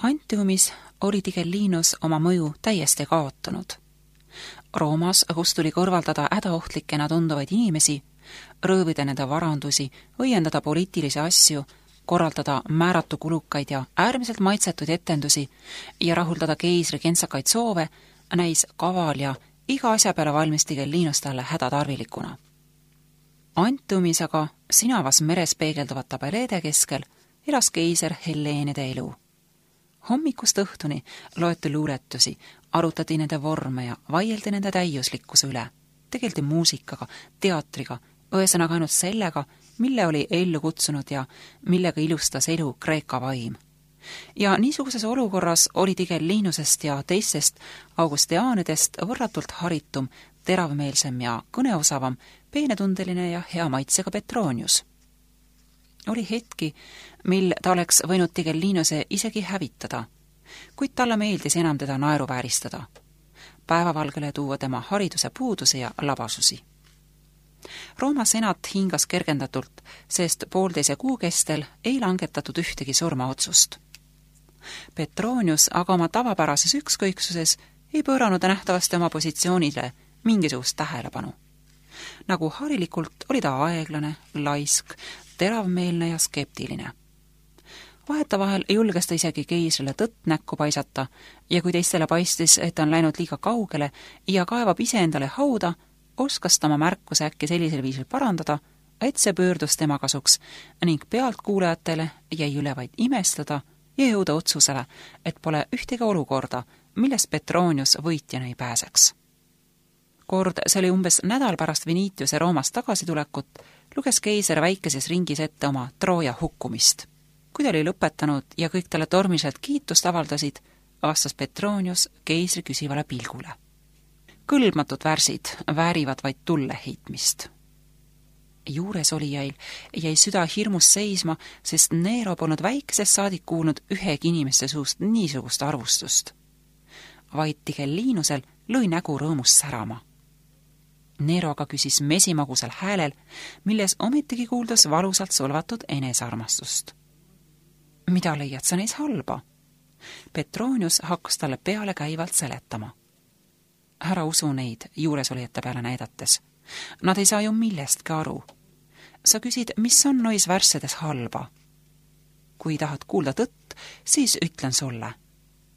Antiumis oli Tigellinus oma mõju täiesti kaotanud. Roomas, kus tuli kõrvaldada hädaohtlikena tunduvaid inimesi, röövida nende varandusi, õiendada poliitilisi asju, korraldada määratu kulukaid ja äärmiselt maitsetuid etendusi ja rahuldada keisri kentsakaid soove, näis kaval ja iga asja peale valmis Tigellinus talle hädatarvilikuna. Antiumis aga sinavas meres peegelduvate tabeleede keskel elas keiser Helleenide elu. Hommikust õhtuni loeti luuletusi, arutati nende vorme ja vaieldi nende täiuslikkuse üle. Tegeldi muusikaga, teatriga, ühesõnaga ainult sellega, mille oli ellu kutsunud ja millega ilustas elu Kreeka vaim. Ja niisuguses olukorras oli Tigellinusest ja teistest augustiaanidest võrratult haritum, teravmeelsem ja kõneosavam, peenetundeline ja hea maitsega Petronius. Oli hetki, mil ta oleks võinud Tigellinuse isegi hävitada, kuid talle meeldis enam teda naeruvääristada, päevavalgele tuua tema hariduse puuduse ja labasusi. Rooma senat hingas kergendatult, sest 1,5 kuu kestel ei langetatud ühtegi surmaotsust. Petronius aga oma tavapärases ükskõiksuses ei pööranud nähtavasti oma positsioonile mingisugust tähelepanu. Nagu harilikult oli ta aeglane, laisk, teravmeelne ja skeptiline. Vahetavahel julges ta isegi keisrile tõtt näkku paisata ja kui teistele paistis, et ta on läinud liiga kaugele ja kaevab ise endale hauda, oskas ta oma märkuse äkki sellisel viisil parandada, et see pöördus tema kasuks ning pealtkuulajatele jäi üle vaid imestada ja jõuda otsusele, et pole ühtegi olukorda, millest Petronius võitjana ei pääseks. Kord, see oli umbes nädal pärast Venitiuse Roomast tagasitulekut, luges keiser väikeses ringis ette oma Trooja hukkumist. Kui ta oli lõpetanud ja kõik talle tormiliselt kiitust avaldasid, vastas Petronius keisri küsivale pilgule. Kõlbmatud värsid väärivad vaid tulle heitmist. Juures olijail jäi süda hirmus seisma, sest Nero polnud väikesest saadik kuulnud ühegi inimeste suust niisugust arvustust. Vaid Tigellinusel lõi nägu rõõmust särama. Nero aga küsis mesimagusel häälel, milles ometigi kuuldas valusalt solvatud enesearmastust. Mida leiad sa neis halba? Petronius hakkas talle peale käivalt seletama. Ära usu neid juuresolijate peale näidates. Nad ei saa ju millestki aru. Sa küsid, mis on nois värssedes halba? Kui tahad kuulda tõtt, siis ütlen sulle.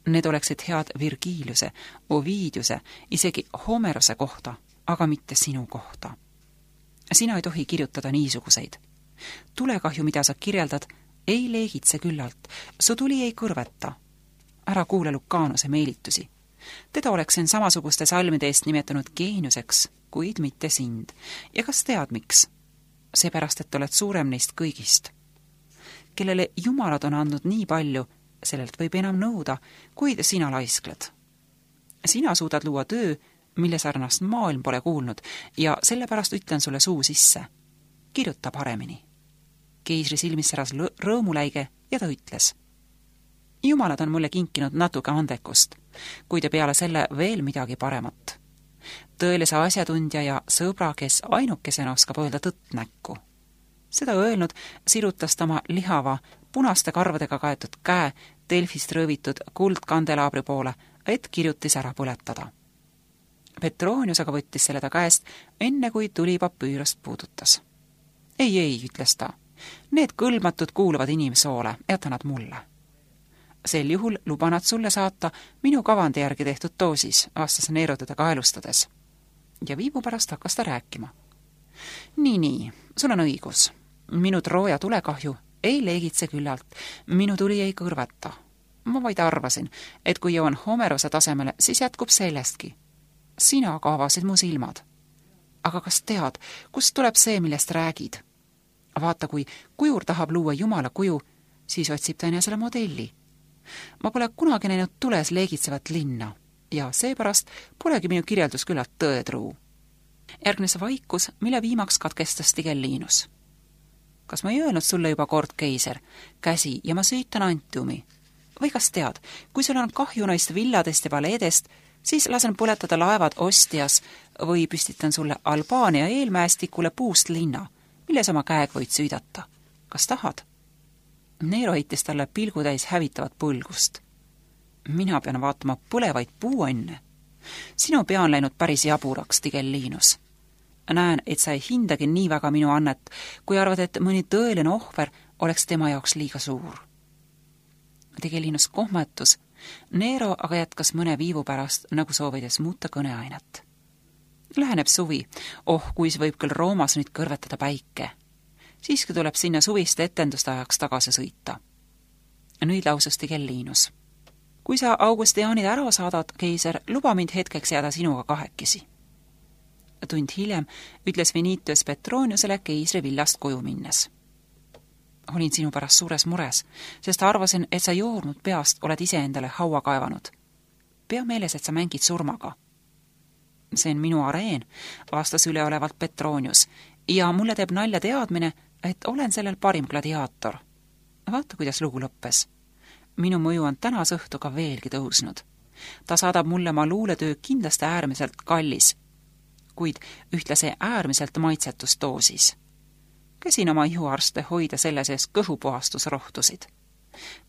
Need oleksid head Virgiliuse, Ovidiuse, isegi Homerose kohta, aga mitte sinu kohta. Sina ei tohi kirjutada niisuguseid. Tulekahju, mida sa kirjeldad, ei leegitse küllalt, su tuli ei kõrveta. Ära kuule Lucanuse meelitusi. Teda oleksin samasuguste salmide eest nimetanud geeniuseks, kuid mitte sind. Ja kas tead miks? Seepärast, et oled suurem neist kõigist. Kellele jumalad on andnud nii palju, sellelt võib enam nõuda, kuid sina laiskled. Sina suudad luua töö, mille sarnast maailm pole kuulnud ja sellepärast ütlen sulle suu sisse. Kirjuta paremini. Keisri silmis säras rõõmuläige ja ta ütles. Jumalad on mulle kinkinud natuke andekust, kuid peale selle veel midagi paremat. Tõelise asjatundja ja sõbra, kes ainukesena oskab öelda tõtt näkku. Seda öelnud sirutas ta oma lihava, punaste karvadega kaetud käe Delfist rõõvitud kuldkandelaabri poole, et kirjutis ära põletada. Petronius aga võttis selle ta käest, enne kui tuli papüürost puudutas. Ei, ütles ta. Need kõlbmatud kuuluvad inimsoole, jäta nad mulle. Sel juhul luba nad sulle saata minu kavandi järgi tehtud doosis, vastas Nero teda kaelustades. Ja viibu pärast hakkas ta rääkima. Nii, sul on õigus. Minu Trooja tulekahju ei leegitse küllalt, minu tuli ei kõrveta. Ma vaid arvasin, et kui jõuan Homerose tasemele, siis jätkub sellestki. Sina aga avasid mu silmad. Aga kas tead, kust tuleb see, millest räägid? Vaata, kui kujur tahab luua Jumala kuju, siis otsib ta enesele modelli. Ma pole kunagi näinud tules leegitsevat linna ja seepärast polegi minu kirjeldus küllalt tõetruu. Järgnes vaikus, mille viimaks katkestas Tigellinus. Kas ma ei öelnud sulle juba kord, keiser, käsi ja ma süütan Antiumi? Või kas tead, kui sul on kahju neist villadest ja paleedest, siis lasen põletada laevad Ostias või püstitan sulle Albaania eelmäestikule puust linna, milles oma käeg võid süüdata. Kas tahad? Nero heitis talle pilgutäis hävitavat põlgust. Mina pean vaatama põlevaid puuonne. Sinu pea on läinud päris jaburaks, Tigellinus. Näen, et sa ei hindagi nii väga minu annet, kui arvad, et mõni tõeline ohver oleks tema jaoks liiga suur. Tigellinus kohmetus, Nero aga jätkas mõne viivu pärast, nagu soovides muuta kõneainet. Läheneb suvi, kuis võib küll Roomas nüüd kõrvetada päike. Siiski tuleb sinna suviste etenduste ajaks tagasi sõita. Nüüd lausus Tigellinus. Kui sa Augustianid ära saadad, keiser, luba mind hetkeks jääda sinuga kahekesi. Tund hiljem ütles Venitius Petroniusele keisri villast koju minnes. Olin sinu pärast suures mures, sest arvasin, et sa joornud peast oled iseendale haua kaevanud. Pea meeles, et sa mängid surmaga. See on minu areen, vastas üleolevalt Petronius, ja mulle teeb nalja teadmine, et olen sellel parim gladiaator. Vaata, kuidas lugu lõppes. Minu mõju on tänas õhtuga veelgi tõusnud. Ta saadab mulle ma luuletöö kindlasti äärmiselt kallis, kuid ühtlasi äärmiselt maitsetus doosis. Käsin oma ihuarste hoida selle sees kõhupuhastusrohtusid.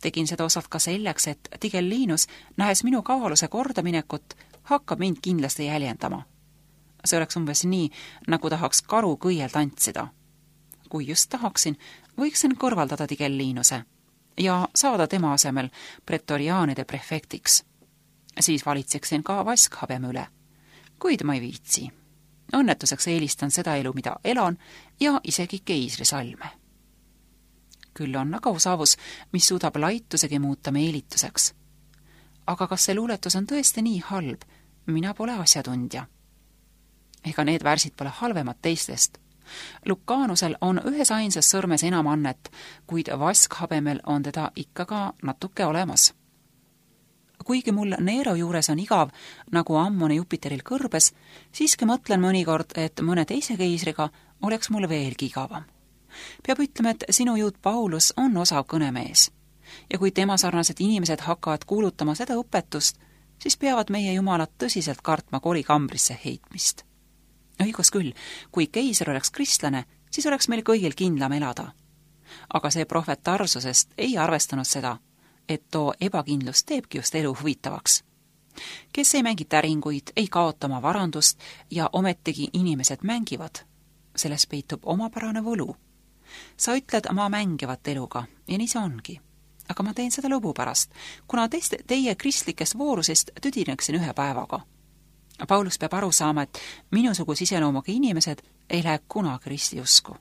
Tegin seda osalt ka selleks, et Tigellinus, nähes minu kaaluse kordaminekut, hakkab mind kindlasti jäljendama. See oleks umbes nii, nagu tahaks karu kõiel tantsida. Kui just tahaksin, võiksin kõrvaldada Tigellinuse ja saada tema asemel pretoriaanide prefektiks. Siis valitseksin ka vaskhabeme üle, kuid ma ei viitsi. Õnnetuseks eelistan seda elu, mida elan, ja isegi keisri salme. Küll on aga osavus, mis suudab laitusegi muuta meelituseks. Aga kas see luuletus on tõesti nii halb? Mina pole asjatundja. Ega need värsid pole halvemad teistest. Lucanusel on ühes ainsas sõrmes enam annet, kuid vaskhabemel on teda ikka ka natuke olemas. Kuigi mul Nero juures on igav, nagu ammune Jupiteril kõrbes, siiski mõtlen mõnikord, et mõne teise keisriga oleks mul veelgi igavam. Peab ütlema, et sinu juut Paulus on osav kõnemees. Ja kui tema sarnased inimesed hakkavad kuulutama seda õpetust, siis peavad meie jumalad tõsiselt kartma kolikambrisse heitmist. Õigus küll, kui keiser oleks kristlane, siis oleks meil kõigil kindlam elada. Aga see prohvet Tarsusest ei arvestanud seda, et too ebakindlus teebki just elu huvitavaks. Kes ei mängi täringuid, ei kaota oma varandust ja ometigi inimesed mängivad. Selles peitub omapärane võlu. Sa ütled ma mängivat eluga ja nii see ongi. Aga ma teen seda lõbu pärast, kuna teie kristlikest voorusest tüdineksin ühe päevaga. Paulus peab aru saama, et minusugus iseloomuga inimesed ei lähe kunagi ristiusku.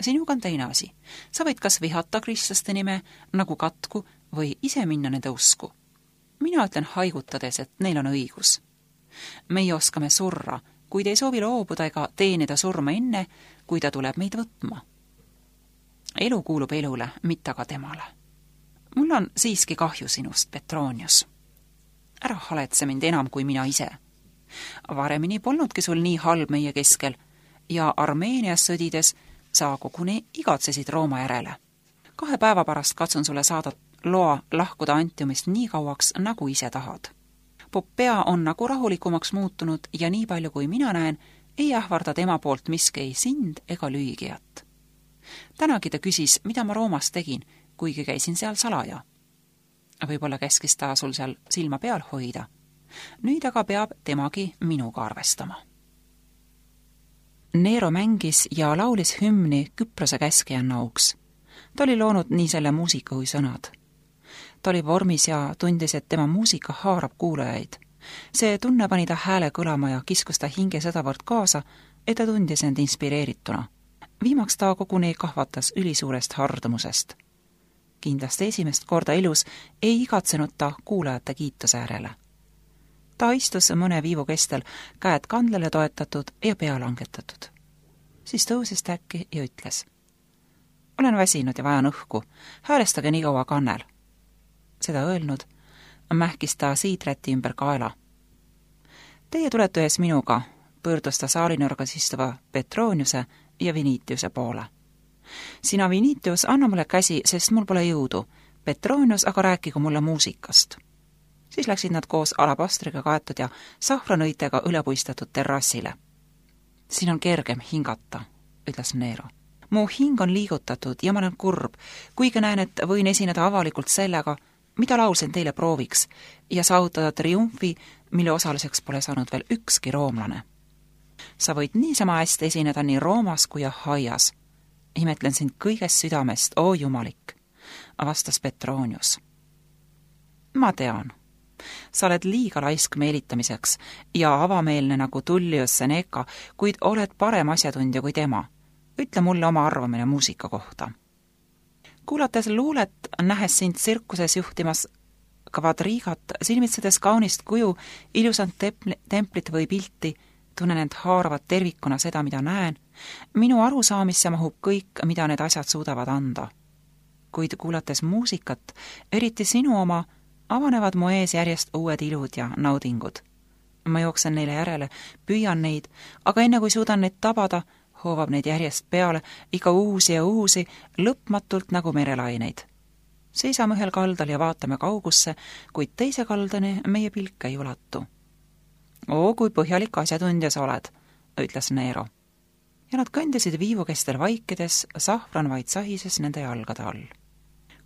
Sinuga on teine asi. Sa võid kas vihata kristlaste nime nagu katku või ise minna nende usku. Mina ütlen haigutades, et neil on õigus. Meie oskame surra, kuid ei soovi loobuda ega teenida surma enne, kui ta tuleb meid võtma. Elu kuulub elule, mitte aga temale. Mul on siiski kahju sinust, Petronius. Ära haletse mind enam kui mina ise. Varemini polnudki sul nii halb meie keskel ja Armeenias sõdides sa koguni igatsesid Rooma järele. 2 päeva pärast katsun sulle saada loa lahkuda Antiumist nii kauaks, nagu ise tahad. Poppea on nagu rahulikumaks muutunud ja nii palju kui mina näen, ei ähvarda tema poolt miski ei sind ega lüügijat. Tänagi ta küsis, mida ma Roomas tegin, kuigi käisin seal salaja. Võib-olla käskis ta sul seal silma peal hoida. Nüüd aga peab temagi minuga arvestama. Nero mängis ja laulis hümni Küprose käskijanna auks. Ta oli loonud nii selle muusika kui sõnad. Ta oli vormis ja tundis, et tema muusika haarab kuulajaid. See tunne pani ta hääle kõlama ja kiskus ta hinge sedavõrd kaasa, et ta tundis end inspireerituna. Viimaks ta koguni kahvatas ülisuurest hardumusest. Kindlasti esimest korda elus ei igatsenud ta kuulajate kiituse järele. Ta istus mõne viivu kestel, käed kandlele toetatud ja pea langetatud. Siis tõusis ta äkki ja ütles: olen väsinud ja vajan õhku, häälestage nii kaua kannel. Seda öelnud, mähkis ta siidräti ümber kaela. Teie tulete ühes minuga, pöördus ta saalinurgas istuva Petroniuse ja Venitiuse poole. Sina, Venitius, anna mulle käsi, sest mul pole jõudu. Petronius aga rääkigu mulle muusikast. Siis läksid nad koos alabastriga kaetud ja sahvranõitega ülepuistatud terrassile. Siin on kergem hingata, ütles Nero. Mu hing on liigutatud ja ma olen kurb, kuigi näen, et võin esineda avalikult sellega, mida laulsin teile prooviks ja saavutada triumfi, mille osaliseks pole saanud veel ükski roomlane. Sa võid niisama hästi esineda nii Roomas kui Ahaias. Imetlen sind kõigest südamest, oo jumalik, vastas Petronius. Ma tean. Sa oled liiga laisk meelitamiseks ja avameelne nagu Tullius Seneca, kuid oled parem asjatundja kui tema. Ütle mulle oma arvamine muusika kohta. Kuulates luulet, nähes sind tsirkuses juhtimas kvadriigat, silmitsedes kaunist kuju, ilusat templit või pilti, tunnen end haaravat tervikuna seda, mida näen. Minu arusaamisse mahub kõik, mida need asjad suudavad anda. Kuid kuulates muusikat, eriti sinu oma, avanevad mu ees järjest uued ilud ja naudingud. Ma jooksen neile järele, püüan neid, aga enne kui suudan neid tabada, hoovab neid järjest peale, iga uusi ja uusi, lõpmatult nagu merelaineid. Seisame ühel kaldal ja vaatame kaugusse, kuid teise kaldani meie pilk ei ulatu. Oo, kui põhjalik asjatundja sa oled, ütles Nero. Ja nad kõndisid viivu kestel vaikides, sahvran vaid sahises nende jalgade all.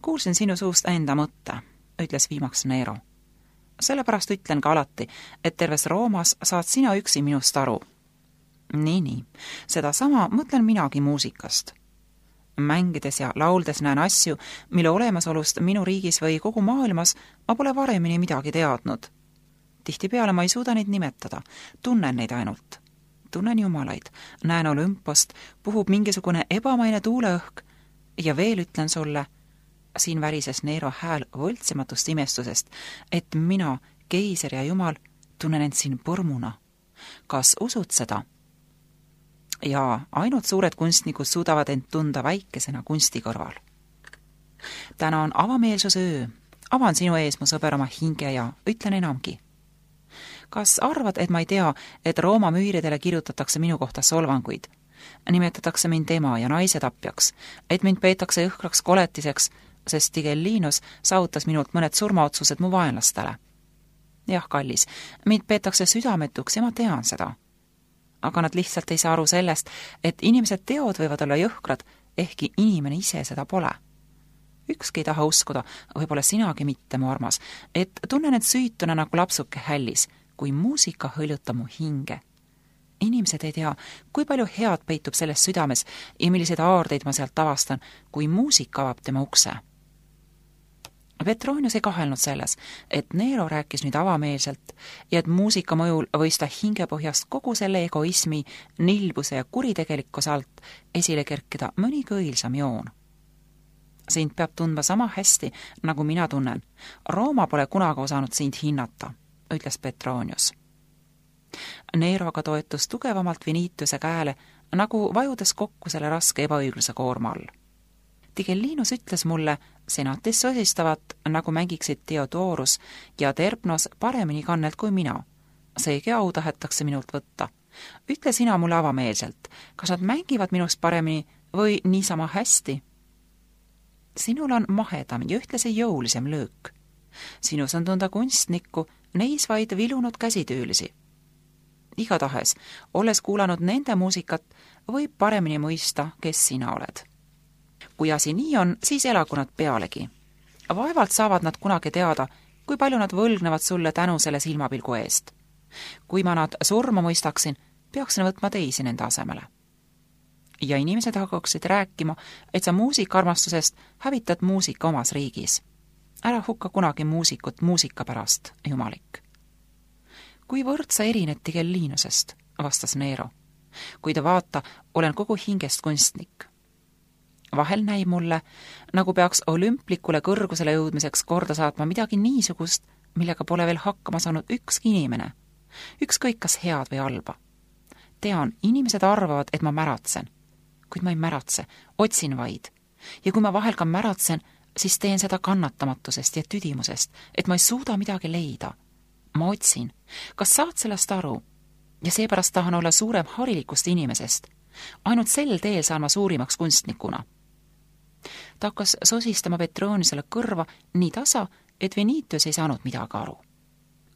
Kuulsin sinu suust enda mõtte, ütles viimaks Nero. Sellepärast ütlen ka alati, et terves Roomas saad sina üksi minust aru. Nii, seda sama mõtlen minagi muusikast. Mängides ja lauldes näen asju, mille olemasolust minu riigis või kogu maailmas ma pole varemini midagi teadnud. Tihtipeale ma ei suuda neid nimetada, tunnen neid ainult. Tunnen jumalaid, näen Olümpost, puhub mingisugune ebamaine tuuleõhk ja veel ütlen sulle, siin värises Nero hääl võltsimatust imestusest, et mina, keiser ja jumal, tunnen end siin põrmuna. Kas usud seda? Ja ainult suured kunstnikud suudavad end tunda väikesena kunsti kõrval. Täna on avameelsuse öö. Avan sinu ees, mu sõber, oma hinge ja ütlen enamgi. Kas arvad, et ma ei tea, et Rooma müüridele kirjutatakse minu kohta solvanguid? Nimetatakse mind ema ja naise tapjaks, et mind peetakse õhkraks koletiseks, sest Tigellinus saavutas minult mõned surmaotsused mu vaenlastele. Jah, kallis, mind peetakse südametuks ja ma tean seda. Aga nad lihtsalt ei saa aru sellest, et inimesed teod võivad olla jõhkrad, ehkki inimene ise seda pole. Ükski ei taha uskuda, võib-olla sinagi mitte, mu armas, et tunnen end süütuna nagu lapsuke hällis, kui muusika hõljutab mu hinge. Inimesed ei tea, kui palju head peitub selles südames ja milliseid aardeid ma sealt avastan, kui muusika avab tema ukse. Petronius ei kahelnud selles, et Nero rääkis nüüd avameelselt ja et muusika mõjul võis ta hingepõhjast kogu selle egoismi, nilbuse ja kuritegelikkuse alt esile kerkida mõnigi õilsam joon. Sind peab tundma sama hästi, nagu mina tunnen. Rooma pole kunagi osanud sind hinnata, ütles Petronius. Nero aga toetus tugevamalt Vinitiuse käele, nagu vajudes kokku selle raske ebaõigluse koorma all. Tigellinus ütles mulle, senatis sosistavat, nagu mängiksid Theodorus ja Terpnos paremini kannelt kui mina. Seegi au tahetakse minult võtta. Ütle sina mulle avameelselt, kas nad mängivad minust paremini või niisama hästi? Sinul on mahedam ja ühtlasi jõulisem löök. Sinus on tunda kunstnikku, neis vaid vilunud käsitöölisi. Igatahes, olles kuulanud nende muusikat, võib paremini mõista, kes sina oled. Kui asi nii on, siis elagu nad pealegi. Vaevalt saavad nad kunagi teada, kui palju nad võlgnevad sulle tänu selle silmapilgu eest. Kui ma nad surma mõistaksin, peaksin võtma teisi nende asemele. Ja inimesed hakkaksid rääkima, et sa muusikarmastusest hävitad muusika omas riigis. Ära hukka kunagi muusikut muusika pärast, jumalik. Kuivõrd sa erined Tigellinusest, vastas Nero. Kui ta vaata, olen kogu hingest kunstnik. Vahel näib mulle, nagu peaks olümplikule kõrgusele jõudmiseks korda saatma midagi niisugust, millega pole veel hakkama saanud ükski inimene. Ükskõik kas head või halba. Tean, inimesed arvavad, et ma märatsen. Kuid ma ei märatse, otsin vaid. Ja kui ma vahel ka märatsen, siis teen seda kannatamatusest ja tüdimusest, et ma ei suuda midagi leida. Ma otsin. Kas saad sellest aru? Ja seepärast tahan olla suurem harilikust inimesest. Ainult sel teel saan ma suurimaks kunstnikuna. Ta hakkas sosistama Petroniusele kõrva nii tasa, et Vinitius ei saanud midagi aru.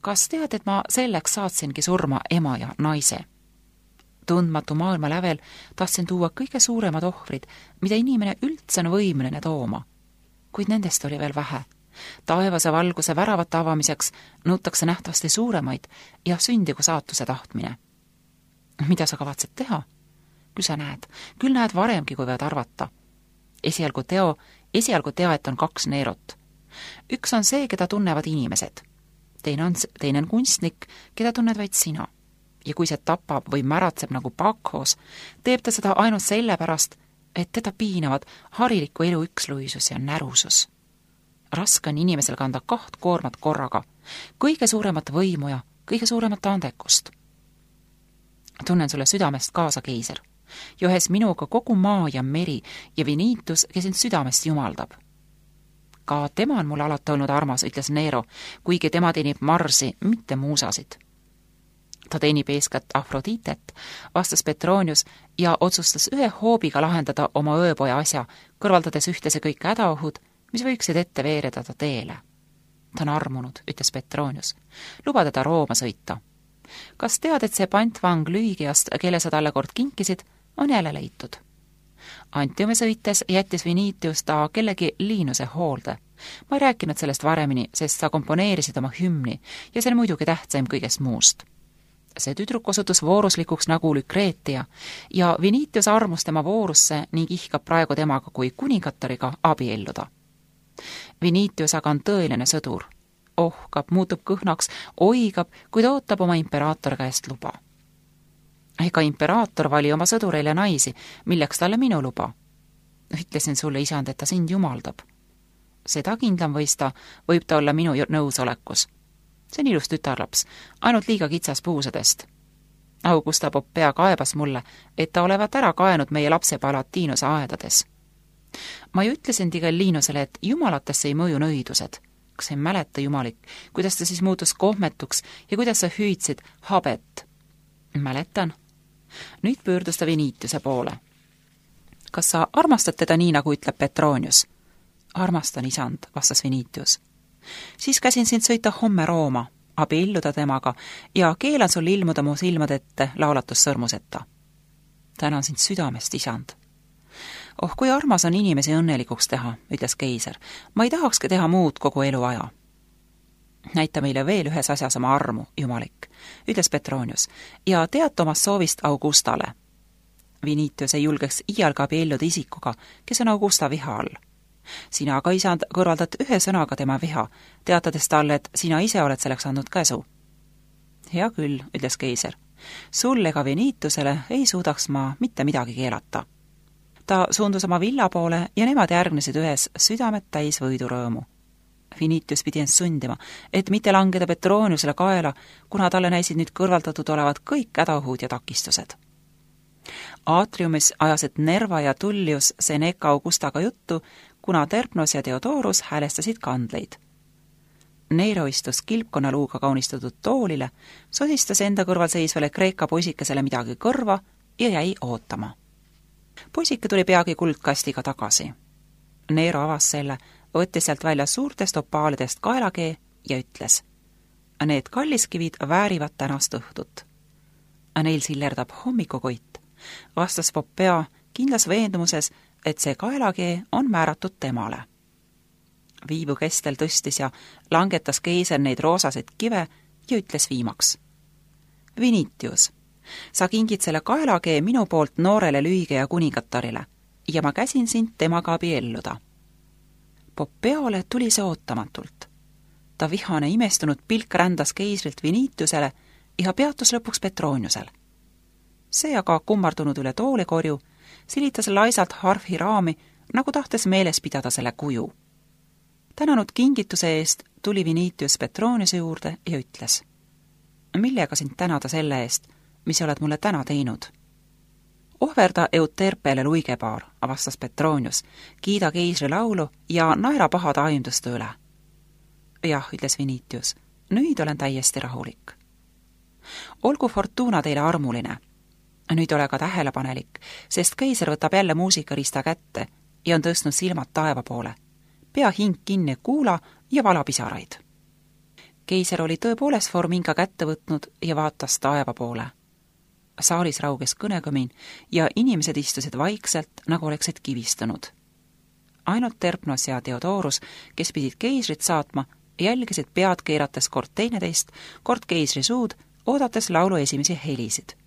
Kas tead, et ma selleks saatsingi surma ema ja naise? Tundmatu maailma lävel tahtsin tuua kõige suuremad ohvrid, mida inimene üldse on võimeline tooma. Kuid nendest oli veel vähe. Taevase valguse väravate avamiseks nõutakse nähtavasti suuremaid ja sündigu saatuse tahtmine. Mida sa kavatsed teha? Küll näed varemgi, kui võid arvata. Esialgu teaet on 2 Neerot. Üks on see, keda tunnevad inimesed. Teine on kunstnik, keda tunned vaid sina. Ja kui see tapab või märatseb nagu Bakhos, teeb ta seda ainult sellepärast, et teda piinavad hariliku elu üksluisus ja närusus. Raske on inimesel kanda 2 koormat korraga, kõige suuremat võimu ja kõige suuremat andekust. Tunnen sulle südamest kaasa, keiser. Johes minuga kogu maa ja meri ja Vinitus, kes sind südamest jumaldab. Ka tema on mulle alati olnud armas, ütles Nero, kuigi tema teenib Marsi, mitte muusasid. Ta teenib eeskätt Afroditet, vastas Petronius ja otsustas ühe hoobiga lahendada oma ööpoja asja, kõrvaldades ühtese kõik hädaohud, mis võiksid ette veereda ta teele. Ta on armunud, ütles Petronius. Luba teda Rooma sõita. Kas tead, et see pantvang Lüügiast, kelle sa talle kord kinkisid, on jälle leitud? Antiume sõites jättis Vinitius ta kellegi Liinuse hoolde. Ma ei rääkinud sellest varemini, sest sa komponeerisid oma hümni ja see on muidugi tähtsaim kõigest muust. See tüdruk osutus vooruslikuks nagu Lükreetia ja Vinitius armus tema voorusse ning ihkab praegu temaga kui kuningatariga abielluda. Vinitius aga on tõeline sõdur. Ohkab, muutub kõhnaks, oigab, kuid ootab oma imperaator käest luba. Ega imperaator vali oma sõdureile naisi, milleks talle minu luba. Ütlesin sulle, isand, et ta sind jumaldab. Seda kindlam võib ta olla minu nõusolekus. See on ilus tütarlaps, ainult liiga kitsas puusadest. Augusta Popea kaebas mulle, et ta olevat ära kaenud meie lapse Palatiinuse aedades. Ma ju ütlesin Tigellinusele, et jumalatesse ei mõju nõidused. Kas ei mäleta, jumalik, kuidas ta siis muutus kohmetuks ja kuidas sa hüüdsid habet? Mäletan. Nüüd pöördus ta Vinitiuse poole. Kas sa armastad teda nii, nagu ütleb Petronius? Armastan, isand, vastas Vinitius. Siis käsin sind sõita homme Rooma, abielluda temaga ja keelan sul ilmuda mu silmade ette laulatussõrmuseta. Tänan sind südamest, isand. Oh, kui armas on inimesi õnnelikuks teha, ütles keiser. Ma ei tahakski teha muud kogu eluaja. Näita meile veel ühes asjas oma armu, jumalik, ütles Petronius, ja teata omast soovist Augustale. Vinitius ei julgeks iialga abielluda isikuga, kes on Augusta viha all. Sina aga, isand, kõrvaldad ühe sõnaga tema viha, teatades talle, et sina ise oled selleks andnud käsu. Hea küll, ütles keiser. Sul ega Vinitusele ei suudaks ma mitte midagi keelata. Ta suundus oma villa poole ja nemad järgnesid ühes südamet täis võidurõõmu. Vinitius pidi end sundima, et mitte langeda Petroniusele kaela, kuna talle näisid nüüd kõrvaldatud olevat kõik hädaohud ja takistused. Aatriumis ajasid Nerva ja Tullius Seneca Augustaga juttu, kuna Terpnos ja Theodorus häälestasid kandleid. Nero istus kilpkonnaluuga kaunistatud toolile, sosistas enda kõrval seisvale Kreeka poisikesele midagi kõrva ja jäi ootama. Poisike tuli peagi kuldkastiga tagasi. Nero avas selle, võttis sealt välja suurtest opaalidest kaelakee ja ütles: Need kalliskivid väärivad tänast õhtut. Neil sillerdab hommikukoit, vastas Popea kindlas veendumuses, et see kaelakee on määratud temale. Viivu kestel tõstis ja langetas keiser neid roosaseid kive ja ütles viimaks: Vinitius, sa kingid selle kaelakee minu poolt noorele Lüüge ja kuningattarile ja ma käsin sind temaga abielluda. Popeole tuli see ootamatult. Ta vihane imestunud pilk rändas keisrilt Vinitiusele ja peatus lõpuks Petroniusel. See aga kummardunud üle toolikorju, silitas laisalt harfi raami, nagu tahtes meeles pidada selle kuju. Tänanud kingituse eest tuli Vinitius Petroniuse juurde ja ütles: Millega sind tänada selle eest, mis oled mulle täna teinud? Ohverda Euterpele luigepaar, vastas Petronius, kiida keisri laulu ja naera pahade aimduste üle. Jah, ütles Vinitius, nüüd olen täiesti rahulik. Olgu Fortuna teile armuline. Nüüd ole ka tähelepanelik, sest keiser võtab jälle muusikarista kätte ja on tõstnud silmad taeva poole. Pea hing kinni kuula ja vala pisaraid. Keiser oli tõepoolest Forminga kätte võtnud ja vaatas taeva poole. Saalis rauges kõnekõmin ja inimesed istusid vaikselt, nagu oleksid kivistunud. ainult Terpnos ja Theodorus, kes pidid keisrit saatma, jälgisid pead keerates kord teineteist, kord keisri suud, oodates laulu esimesi helisid.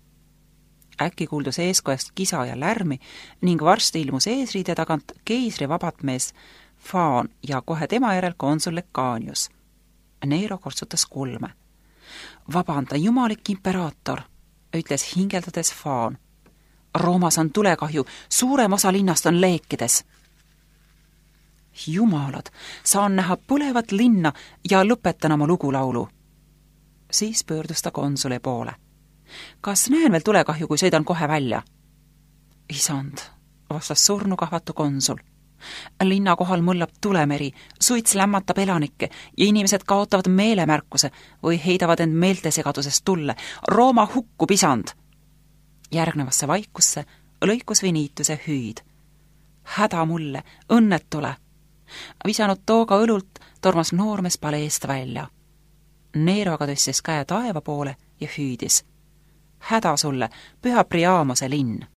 Äkki kuuldus eeskojast kisa ja lärmi ning varsti ilmus eesriide tagant keisri vabatmees Faan ja kohe tema järel konsul Lecanius. Nero kortsutas kulme. Vabanda, jumalik imperaator, ütles hingeldades Faan. Roomas on tulekahju, suurem osa linnast on leekides. Jumalad, saan näha põlevat linna ja lõpetan oma lugulaulu. Siis pöördus ta konsuli poole. Kas näen veel tulekahju, kui sõidan kohe välja? Isand, vastas surnukahvatu konsul. Linna kohal mõllab tulemeri, suits lämmatab elanikke ja inimesed kaotavad meelemärkuse või heidavad end meeltesegadusest tulle. Rooma hukkub, isand! Järgnevasse vaikusse lõikus Venituse hüüd. Häda mulle, õnnetule! Visanud tooga õlult tormas noormees paleest välja. Nero aga tõstis käe taeva poole ja hüüdis. Häda sulle, püha Priamose linn!